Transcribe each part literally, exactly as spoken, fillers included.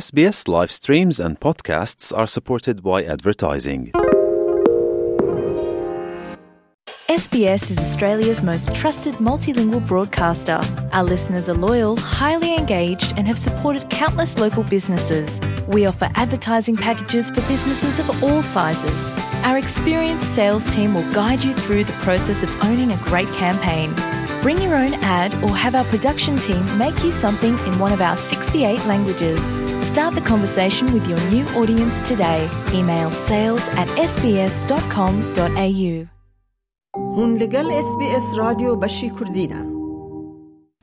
S B S live streams and podcasts are supported by advertising. S B S is Australia's most trusted multilingual broadcaster. Our listeners are loyal, highly engaged, and have supported countless local businesses. We offer advertising packages for businesses of all sizes. Our experienced sales team will guide you through the process of owning a great campaign. Bring your own ad or have our production team make you something in one of our sixty-eight languages. Start the conversation with your new audience today. Email sales at S B S dot com dot A U. هون لەگەڵ S B S رادیۆ بەشی کوردینە.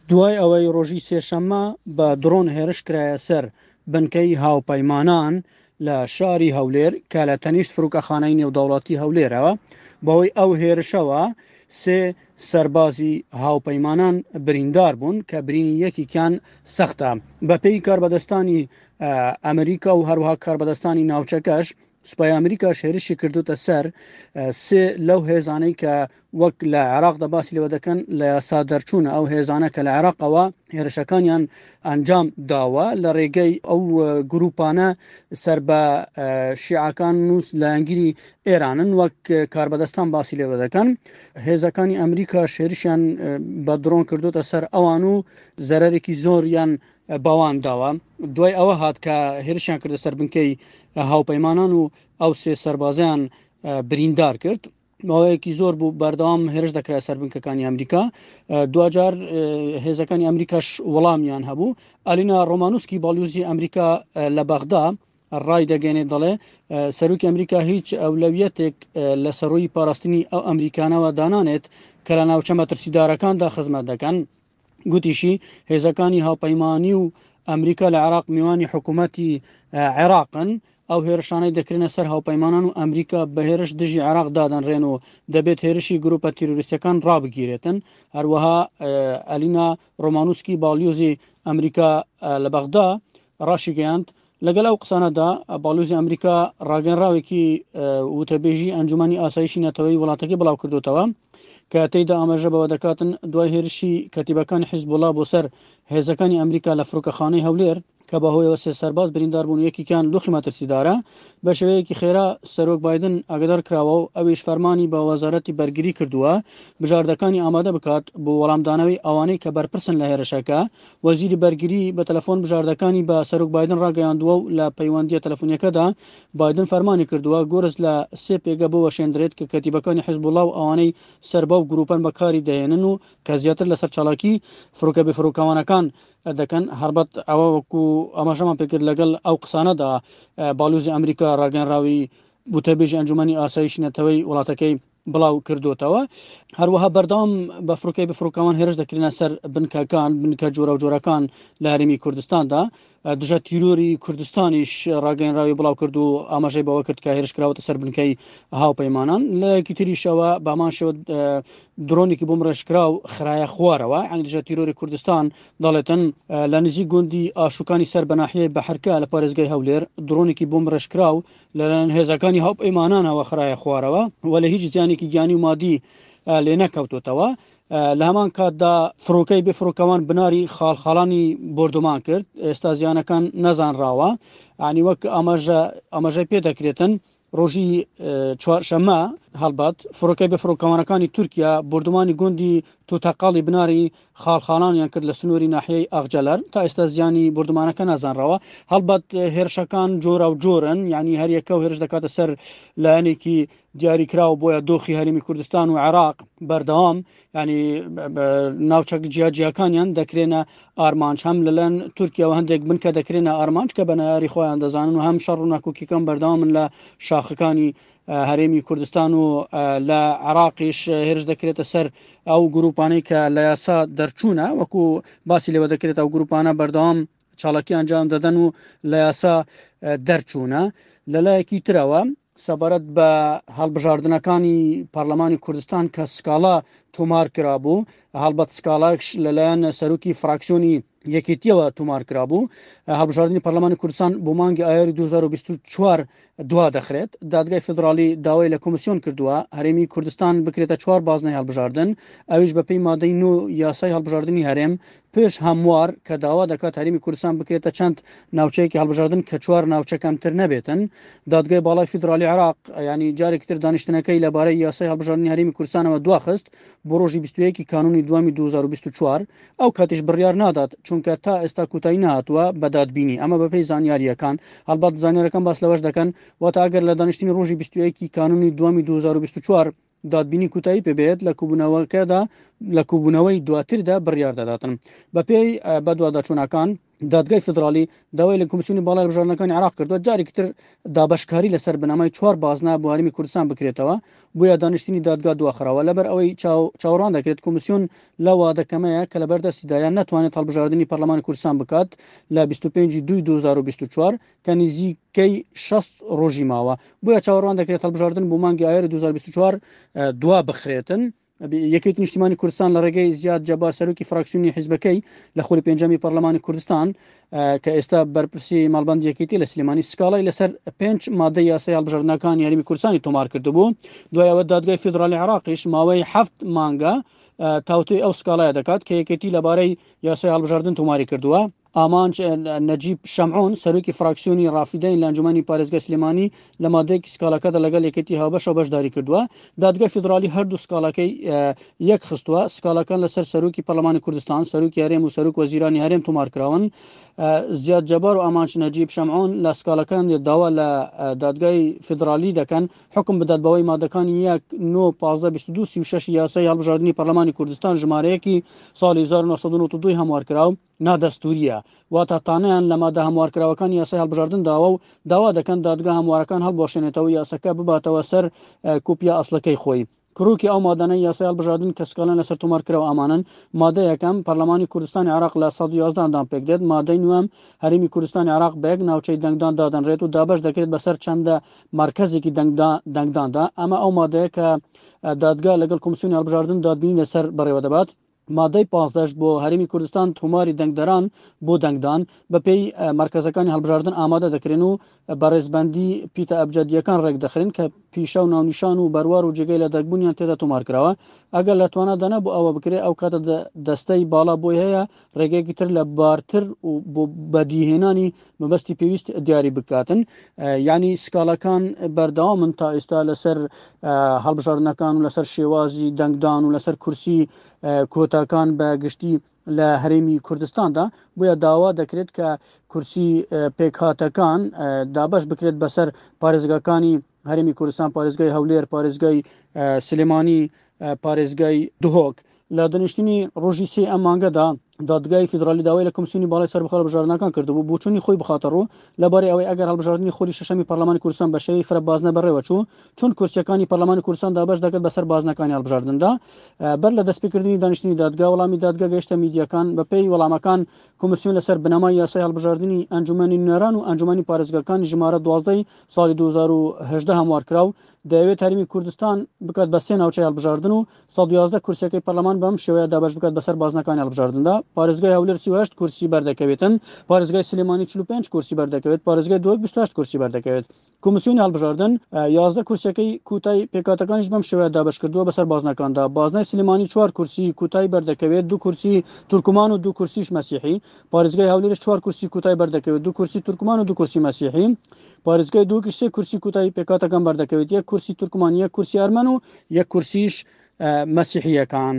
دوای ئەوەی ڕۆژی سێشەممە بە درۆن هێرش کرایە سەر بنکەی هاوپەیمانان لە شاری هەولێر کە لە تەنیشت فڕۆکەخانەی نێودەوڵەتی هەولێرەوە، بەهۆی ئەو هێرشەوە سێ سەربازی هاوپەیمانان بریندار بوون کە برینی یەکێکیان سەختە. بەپێی کاربەدەستانی ئەمریکا و هەروەها کاربەدەستانی ناوچەکەش، سوپای ئەمریکاش هێرشی کردوتە سەر سێ لەو هێزانەی کە وەک لە عێراقدا باسی لەوە دەکەن لە یاسا دەرچوونە، ئەو هێزانە کە لە عێراقەوە هێرشەکانیان ئەنجام داوە لە ڕێگەی ئەو گروپانە سەر بە شیعەکان و لایەنگیری ئێرانن. وەک کاربەدەستان باسی لێوە دەکەن، هێزەکانی ئەمریکا هێرشیان بە درۆن کردوتە سەر ئەوان و زەرەرێکی زۆریان بەوان داوە. دوای ئەوە هات کە هێرشیان کردە سەر بنکەی هاوپەیمانان و ئەو سێ سەربازیان بریندار کرد. ماوەیەکی زۆر بوو بەردەوام هێرش دەکرا سەر بنکەکانی ئەمریکا، دواجار هێزەکانی ئەمریکاش وەڵامیان هەبوو. ئالینا ڕۆمانوسکی، باڵیۆزی ئەمریکا لە بەغدا، ڕای دەگەێنێت، دەڵێ سەرۆکی ئەمریکا هیچ ئەولەویەتێک لە سەرۆی پاراستنی ئەو ئەمریکانەوە دانانێت کە لە ناوچە مەترسیدارەکاندا خزمەت دەکەن. گوتیشی هێزەکانی هاوپەیمانی و ئەمریکا لە عێراق میوانی حکوومەتی عێراقن. ئەو هێرشانەی دەکرێنە سەر هاوپەیمانان و ئەمریکا بە هێرش دژی عێراق دادەنرێن و دەبێت هێرشی گروپە تیرۆریستەکان ڕابگیرێتن. هەروەها ئەلینا ڕۆمانوسکی، باڵیۆزی ئەمریکا لە بەغدا، ڕاشیگەیاند، لەگەڵ ئەو قسانەدا باڵیۆزی ئەمریکا ڕاگەنراوێکی وتەبێژی ئەنجومەنی ئاسایشی نەتەوەی وڵاتەکەی بڵاو کردوتەوە کە تێیدا ئاماژە بەوە دەکاتن دوای هێرشی کەتیبەکانی حیزبوڵا بۆ سەر هێزەکانی ئەمریکا لە فڕۆکەخانەی هەولێر کە بەهۆیەوە سێ سەرباز بریندار بوون، یەکێکیان دۆخی مەترسیدارە، بە شێوەیەکی خێرا سەرۆک بایدن ئاگدار کراوە و ئەویش فەرمانی بە وەزارەتی بەرگری کردووە بژاردەکانی ئامادە بکات بۆ وەڵامدانەوەی ئەوانەی کە بەرپرسن لە هێرشەکە. وەزیری بەرگری بە تەلەفۆن بژاردەکانی بە سەرۆک بایدن ڕاگەیاندووە و لە پەیوەندیە تەلەفۆنیەکەدا بایدن فەرمانی کردووە گورز لە سێ پێگە بوەشێندرێت کە کەتیبەکانی حیزبوڵا و ئەوانەی سەر بەو گروپەن بەکاری دەهێنن و کە زیاتر لەسەر چالاکی فڕۆکە بێفڕۆکەوانەکان دەکەن. هەربەت ئەوە وەکو ئاماژەمان پێکرد، لەگەڵ ئەو قسانەدا باڵیۆزی ئەمریکا ڕاگەنراوی وتەبێژی ئەنجومەنی ئاسایشی نەتەوەی وڵاتەکەی بڵاو کردوتەوە. هەروەها بەردەوام بە فڕۆکەی بێفڕۆکەوان هێرش دەکرێنە سەر بنکەکان، بنکە جۆرە و جۆرەکان لە هەرێمی کوردستاندا. دژە تیرۆری کوردستانیش ڕاگەنراوی بڵاو کرد و ئاماژەی بەوە کرد کە هێرش کراوەتە سەر بنکەی هاوپەیمانان. لەلایەکی تریشەوە بەمان شێوە درۆنێکی بۆمبڕێژکراو خرایە خوارەوە. یعنی دژە تیرۆری کوردستان دەڵێتن لە نزیک گوندی ئاشوکانی سەر بە ناحیەی بەحرکە لە پارێزگای هەولێر درۆنێکی بۆمبڕێژکراو لەلایەن هێزەکانی هاوپەیمانانەوە خرایە خوارەوە و لە هیچ زیانێکی گیانی و مادی لێ نەکەوتوتەوە. لە هەمان کاتدا فڕۆکەی بێفڕۆکەوان بناری خاڵخاڵانی بۆردومان کرد، ئێستا زیانەکان نەزانراوە. ینی وەک ئاماژە ئاماژەی پێ دەکرێتن، ڕۆژی چوارشەممە هەڵبەت فڕۆکەی بێفڕۆکەوانەکانی تورکیا بۆردومانی گوندی توتەقاڵی بناری خاڵخاڵانیان کرد لە سنووری ناحیەی ئاغجەلەر. تا ئێستا زیانی بۆردومانەکە نازانراوە. هەڵبەت هێرشەکان جۆرە و جۆرن، یعنی هەریەکە و هێرش دەکاتە سەر لایەنێکی دیاریکراو. بۆیە دۆخی هەرێمی کوردستان و عێراق بەردەوام ینی ناوچە جیاجیاکانیان دەکرێنە ئارمانج، هەم لەلایەن تورکیاوە هەندێک بنکە دەکرێنە ئارمانج کە بە نەیاری خۆیان دەزانن و هەم شەڕ و ناکۆکیەکان بەردەوامن لە شاخەکانی هەرێمی کوردستان و لە عێراقیش هێرش دەکرێتە سەر ئەو گروپانەی کە لە یاسا دەرچوونە. وەکو باسی لێوە دەکرێت، ئەو گروپانە بەردەوام چالاکی ئەنجام دەدەن و لە یاسا دەرچوونە. لەلایەکی ترەوە سەبارەت بە هەڵبژاردنەکانی پەرلەمانی کوردستان کە سکاڵا تۆمار کرابوو. هەڵبەت سکاڵاش لەلایەن سەرۆکی فراکسیۆنی یەکێتیەوە تۆمار کرابوو. هەڵبژاردنی پەرلەمانی کوردستان بۆ مانگی ئایاری دوو هەزار و بیست و چوار دوا دەخرێت. دادگای فیدراڵی داوای لە کۆمیسیۆن کردووە هەرێمی کوردستان بکرێتە چوار بازنەی هەڵبژاردن، ئەویش بەپێی مادەی نۆ یاسای هەڵبژاردنی هەرێم پێش هەموار کە داوا دەکات هەرێمی کوردستان بکرێتە چەند ناوچەیەکی هەڵبژاردن کە چوار ناوچە کەمتر نەبێتن. دادگای باڵای فیدراڵی عێراق ینی جارێکی تر دانیشتنەکەی لەبارەی یاسای هەڵبژاردنی هەرێمی کوردستانەوە دواخست بۆ ڕۆژی بیست و یەکی کانونی دووەمی دوو هەزار و بیست و چوار. ئەو کاتیش بڕیار نادات چونکە تا ئێستا کوتایی نهاتووە بە دادبینی. ئەمە بەپێی زانیاریەکان. هەڵبەت زانیارەکان باس لەوەش دەکەن واتە ئەگەر لە دانیشتنی ڕۆژی بیست و یەکی کانونی دووەمی دوو هەزار و بیست و چوار دادبینی کوتایی پێبێت لە کوبوونەوەکەدا لە کوبوونەوەی دواتردا بڕیار دەداتن. بەپێی بەدواداچوونەکان دادگای فیدراڵی داوای لە کۆمیسیۆنی باڵای هەڵبژاردنەکانی عێراق کردووە جارێکی تر دابەشکاری لەسەر بنەمای چوار بازنە بۆ هەرێمی کوردستان بکرێتەوە، بۆیە دانیشتنی دادگا دواخراوە. لەبەر ئەوەی چاوەڕوان دەکرێت کۆمیسیۆن لە وادەکەمەیە کە لەبەردەستیدایە نەتوانێت هەڵبژاردنی پەرلەمانی کوردستان بکات لە بیست و پێنج دووی دوو هەزار و بیست و چوار کە نزیکەی شەست ڕۆژی ماوە، بۆیە چاوەڕوان دەکرێت هەڵبژاردن بۆ مانگی ئایاری دوو هەزار و بیست و چوار دوا بخرێتن. یەکێتی نیشتیمانی کوردستان لە ڕێگەی زیاد جەبار سەرۆکی فراکسیۆنی حیزبەکەی لە خولی پێنجەمی پەرلەمانی کوردستان کە ئێستا بەرپرسی ماڵبەندی یەکێتی لە سلێمانی سکاڵای لەسەر پێنج مادەی یاسای هەڵبژاردنەکانی هەرێمی کوردستانی تۆمار کردبوو. دوای ئەوە دادگای فیدراڵی عێراقیش ماوەی حەفت مانگە تاوتوێی ئەو سکاڵایە دەکات کە یەکێتی لەبارەی یاسای هەڵبژاردن تۆماری کردووە. ئامانج نەجیب شەمعون سەرۆکی فراکسیۆنی ڕافیدەین لە ئەنجومەنی پارێزگای سلێمانی لە مادەیەکی سکاڵەکەدا لەگەڵ یەکێتی هاوبەشەوە بەشداری کردووە. دادگای فیدراڵی هەردوو سکاڵەکەی یەک خستووە. سکاڵەکان لەسەر سەرۆکی پەرلەمانی کوردستان، سەرۆکی هەرێم و سەرۆک وەزیرانی هەرێم تۆمار کراون. زیاد جەبار و ئامانج نەجیب شەمعون لە سکاڵەکان داوا لە دادگای فیدراڵی دەکەن حکم بدات بەوەی مادەکانی یەک نۆ پازدە بیست و دوو سی و شەش یاسای هەڵبژاردنی پەرلەمانی کوردستان ژمارەیەکی ساڵی هەزار و نۆ سەد و نەوەد و دوو هەموار کراو نادەستوریە، واتە تانەیان لە مادە هەموارکراوەکان یاسای هەڵبژاردن داوە و داوا دەکەن دادگا هەموارەکان هەڵبوەشێنێتەوە یاسەکە بباتەوە سەر کوپیا ئەسڵەکەی خۆی. کڕوکی ئەو مادانەی یاسای هەڵبژاردن کە سکاڵیان لەسەر تۆمار کراوە ئامانن. مادە یەکەم پەرلەمانی کوردستانی عێراق لە سەد و یازدە ئەندام پێک دێت. مادەی نوێم هەرێمی کوردستانی عێراق بە یەک ناوچەی دەنگدان دادەنرێت و دابەش دەکرێت بەسەر چەندە مەرکەزێکی دەنگداندا. ئەمە ئەو مادەیە کە دادگا لەگەڵ کۆمیسیۆنی هەڵبژاردن دادبینی لەسەر بەڕێوە دەبات. مادەی پازدەش بۆ هەرێمی کوردستان تۆماری دەنگدەران بۆ دەنگدان بەپێی مەرکەزەکانی هەڵبژاردن ئامادە دەکرێن و بەڕێزبەندی پیتە ئەبجەدیەکان ڕێک دەخرێن کە پیشە و ناونیشان و بەروار و جێگەی لە دەگبوونیان تێدا تۆمار کراوە. ئەگەر لە توانادا نەبوو ئەوە بکرێت، ئەو کاتە دەستەی باڵا بۆی هەیە ڕێگەیەکی تر لە بارتر و بۆ بەدیهێنانی مەبەستی پێویست دیاری بکاتن. یعنی سکاڵەکان بەردەوامن تا ئێستا لەسەر هەڵبژاردنەکان و لەسەر شێوازی دەنگدان و لەسەر کورسی کۆتاکان بە گشتی لە هەرێمی کوردستاندا. بۆیە داوا دەکرێت کە کورسی پێکهاتەکان دابەش بکرێت بەسەر پارێزگاکانی هەرێمی کوردستان، پارێزگای هەولێر، پارێزگای سلێمانی، پارێزگای دهۆک. لە دانیشتنی ڕۆژی سێ ئەم مانگەدا دادگای فیدراڵی داوای لە کۆمیسیۆنی باڵای سەربەخۆ هەڵبژاردنەکان کردبوو بۆچوونی خۆی بخاتە ڕوو لەبارەی ئەوەی ئەگەر هەڵبژاردنی خولی شەشەمی پەرلەمانی کوردستان بە شێوەی فرە بازنە بەڕێوە چوو، چۆن کورسیەکانی پەرلەمانی کوردستان دابەش دەکرد بەسەر بازنەکانی هەڵبژاردندا. بەر لە دەستپێکردنی دانیشتنی دادگا وەڵامی دادگا گەیشتە میدیاکان. بەپێی وەڵامەکان کۆمیسیۆن لەسەر بنەمای یاسای هەڵبژاردنی ئەنجومەنی نوێنەران و ئەنجومەنی پارێزگاکانی ژمارە دوازدەی ساڵی دوو هەزار و هەژدە هەموار کراو دەیەوێت هەرێمی کوردستان بکات بە سێ ناوچەی هەڵبژاردن و سەد و یازدە کورسیەکەی پەرلەمان بەم شێوەیە دابەش بکات بەسەر بازنەکانی هەڵبژاردندا. پارێزگای هەولێر سی و هەشت کورسی بەردەکەوێتن، پارێزگای سلێمانی چل و پێنج کورسی بەردەکەوێت، پارێزگای دهۆک بیست و هەشت کورسی بەردەکەوێت. کۆمیسیۆنی هەڵبژاردن یازدە کورسیەکەی کوتای پێکاتەکانیش بەم شێوەیە دابەش کردووە بەسەر بازنەکاندا. بازنەی سلێمانی چوار کورسی کوتای بەردەکەوێت، دوو کورسی تورکمان و دوو کورسیش مەسیحی. پارێزگای هەولێرش چوار کورسی کوتای بەردەکەوێت، دوو کورسی تورکمان و دوو کورسی مەسیحی. پارێزگای دهۆکیش سێ کورسی کوتای پێکاتەکان بەردەکەوێت، یەک کورسی تورکمان، یەک کورسی ئەرمەن و یەک کورسیش مەسیحیەکان.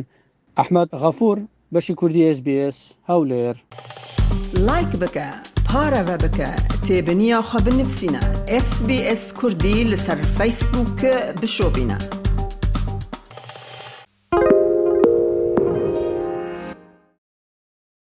ئەحمەد غەفور، بەشی کوردی ئێس بی ئێس، هەولێر. لایک بکە، پارەوە بکە، تێبنییا خە بنفسینە. ئێس بی ئێس کوردی لەسەر فەیسبووک بشۆبینە.